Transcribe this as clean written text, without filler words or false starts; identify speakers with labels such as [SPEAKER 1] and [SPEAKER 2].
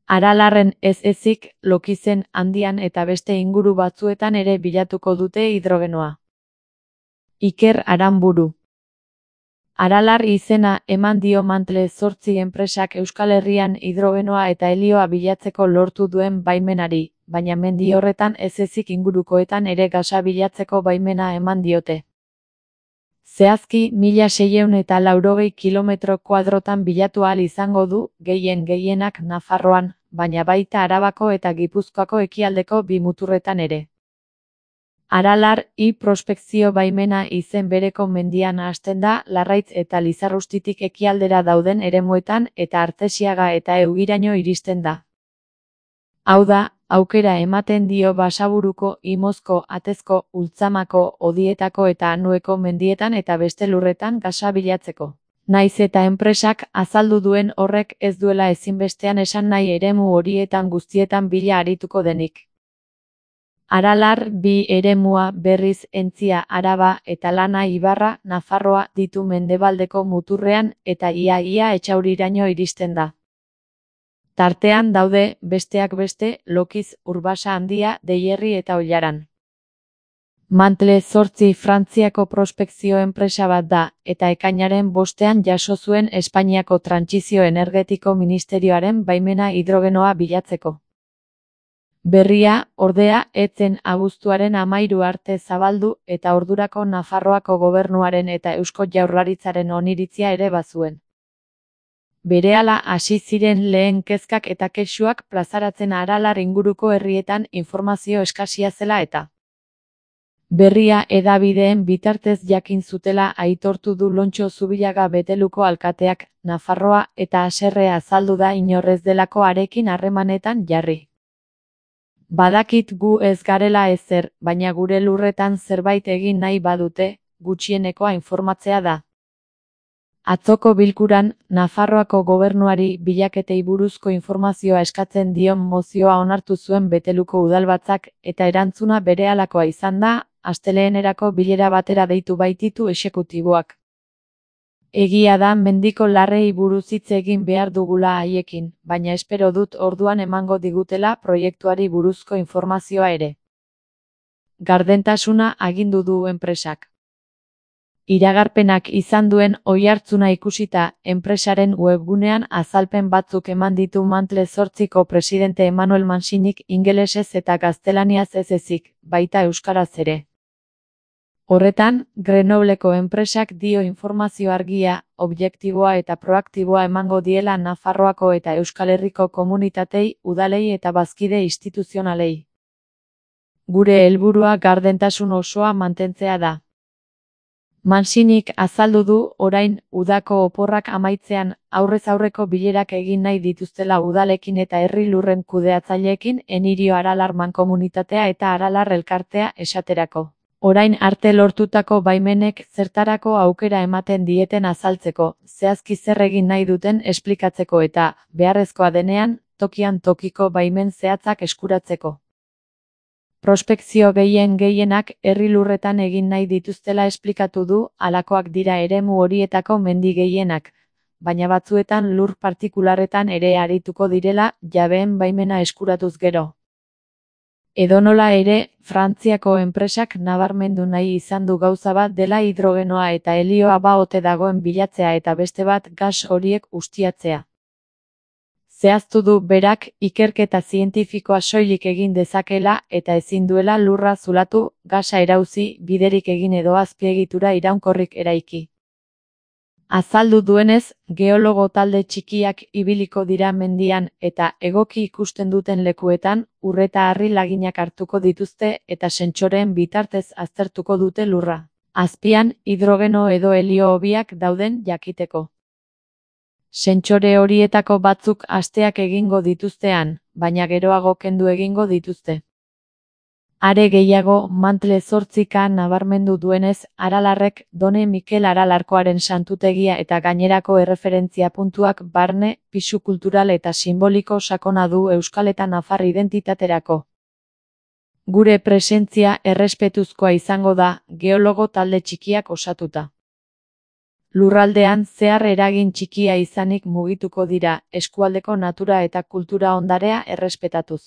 [SPEAKER 1] Aralarren ez ezik, Lokizen, Andian eta beste inguru batzuetan ere bilatuko dute hidrogenoa. Iker Aranburu. Aralar izena eman dio Mantle Zortzi enpresak Euskal Herrian hidrogenoa eta helioa bilatzeko lortu duen baimenari, baina mendi horretan ez ezik ingurukoetan ere gasa bilatzeko baimena eman diote. Zehazki 1680 kilometro kuadrotan bilatu ahal izango du, gehienak Nafarroan, baina baita Arabako eta Gipuzkoako ekialdeko bi muturretan ere. Aralar prospekzio baimena izen bereko mendian hasten da Larraitz eta Lizarrustitik ekialdera dauden eremuetan eta Artesiaga eta Eugiraino iristen da. Hau da, aukera ematen dio Basaburuko, Imozko, Atezko, Ultzamako, Odietako eta Anueko mendietan eta beste lurretan gasa bilatzeko. Naiz eta enpresak azaldu duen horrek ez duela ezinbestean esan nahi eremu horietan guztietan bila arituko denik. Aralar bi eremua berriz Entzia, Araba eta Lana Ibarra, Nafarroa ditu mendebaldeko muturrean eta ia Etxauriraino iristen da. Tartean daude, besteak beste, Lokiz, Urbasa Handia, Deierri eta Ollaran. Mantle Zortzi Frantziako prospekzio enpresa bat da, eta ekainaren 5ean jaso zuen Espainiako Trantsizio Energetiko Ministerioaren baimena hidrogenoa bilatzeko. Berria, ordea, ez zen abuztuaren 13 arte zabaldu eta ordurako Nafarroako gobernuaren eta Eusko Jaurlaritzaren oniritzia ere bazuen. Berehala hasi ziren lehen kezkak eta kexuak plazaratzen Aralar inguruko herrietan informazio eskasia zela eta. Berria hedabideen bitartez jakin zutela aitortu du Lontxo Zubillaga Beteluko alkateak, Nafarroa eta haserre azaldu da inorrez delako harekin harremanetan jarri. Badakit gu ez garela ezer, baina gure lurretan zerbait egin nahi badute, gutxienekoa informatzea da. Atzoko bilkuran, Nafarroako gobernuari bilaketei buruzko informazioa eskatzen dion mozioa onartu zuen Beteluko udalbatzak eta erantzuna berehalakoa izan da, astelehenerako bilera batera deitu baititu exekutiboak. Egia da mendiko larrei buruz hitz egin behar dugula haiekin, baina espero dut orduan emango digutela proiektuari buruzko informazioa ere. Gardentasuna agindu du enpresak. Iragarpenak izan duen oihartzuna ikusita, enpresaren webgunean azalpen batzuk eman ditu Mantle Zortziko presidente Emmanuel Mansinik ingelesez eta gaztelaniaz ez ezik, baita euskaraz ere. Horretan, Grenobleko enpresak dio informazio argia, objektiboa eta proaktiboa emango diela Nafarroako eta Euskal Herriko komunitatei, udalei eta bazkide instituzionalei. Gure helburua gardentasun osoa mantentzea da. Mansinik azaldu du orain udako oporrak amaitzean aurrez aurreko bilerak egin nahi dituztela udalekin eta herri lurren kudeatzaileekin Enirio Aralar mankomunitatea eta Aralar elkartea esaterako. Orain arte lortutako baimenek zertarako aukera ematen dieten azaltzeko, zehazki zer egin nahi duten esplikatzeko eta, beharrezkoa denean, tokian tokiko baimen zehatzak eskuratzeko. Prospekzio gehienak herri lurretan egin nahi dituztela esplikatu du, halakoak dira eremu horietako mendi gehienak, baina batzuetan lur partikularretan ere arituko direla jabeen baimena eskuratuz gero. Edonola ere, Frantziako enpresak nabarmendu nahi izan du gauza bat dela hidrogenoa eta helioa ote dagoen bilatzea eta beste bat gas horiek ustiatzea. Zehaztu du berak ikerketa zientifikoa soilik egin dezakela eta ezin duela lurra zulatu, gasa erauzi, biderik egin edo azpiegitura iraunkorrik eraiki. Azaldu duenez, geologo talde txikiak ibiliko dira mendian eta egoki ikusten duten lekuetan, ur eta harri laginak hartuko dituzte eta sentsoreen bitartez aztertuko dute lurra. Azpian, hidrogeno edo helio hobiak dauden jakiteko. Sentsore horietako batzuk asteak egingo dituztean, baina geroago kendu egingo dituzte. Are gehiago, Mantle Zortzika nabarmendu duenez, Aralarrek Done Mikel Aralarkoaren santutegia eta gainerako erreferentzia puntuak barne, pisu kultural eta simboliko sakona du euskal eta nafar identitaterako. Gure presentzia errespetuzkoa izango da, geologo talde txikiak osatuta. Lurraldean zehar eragin txikia izanik mugituko dira, eskualdeko natura eta kultura ondarea errespetatuz.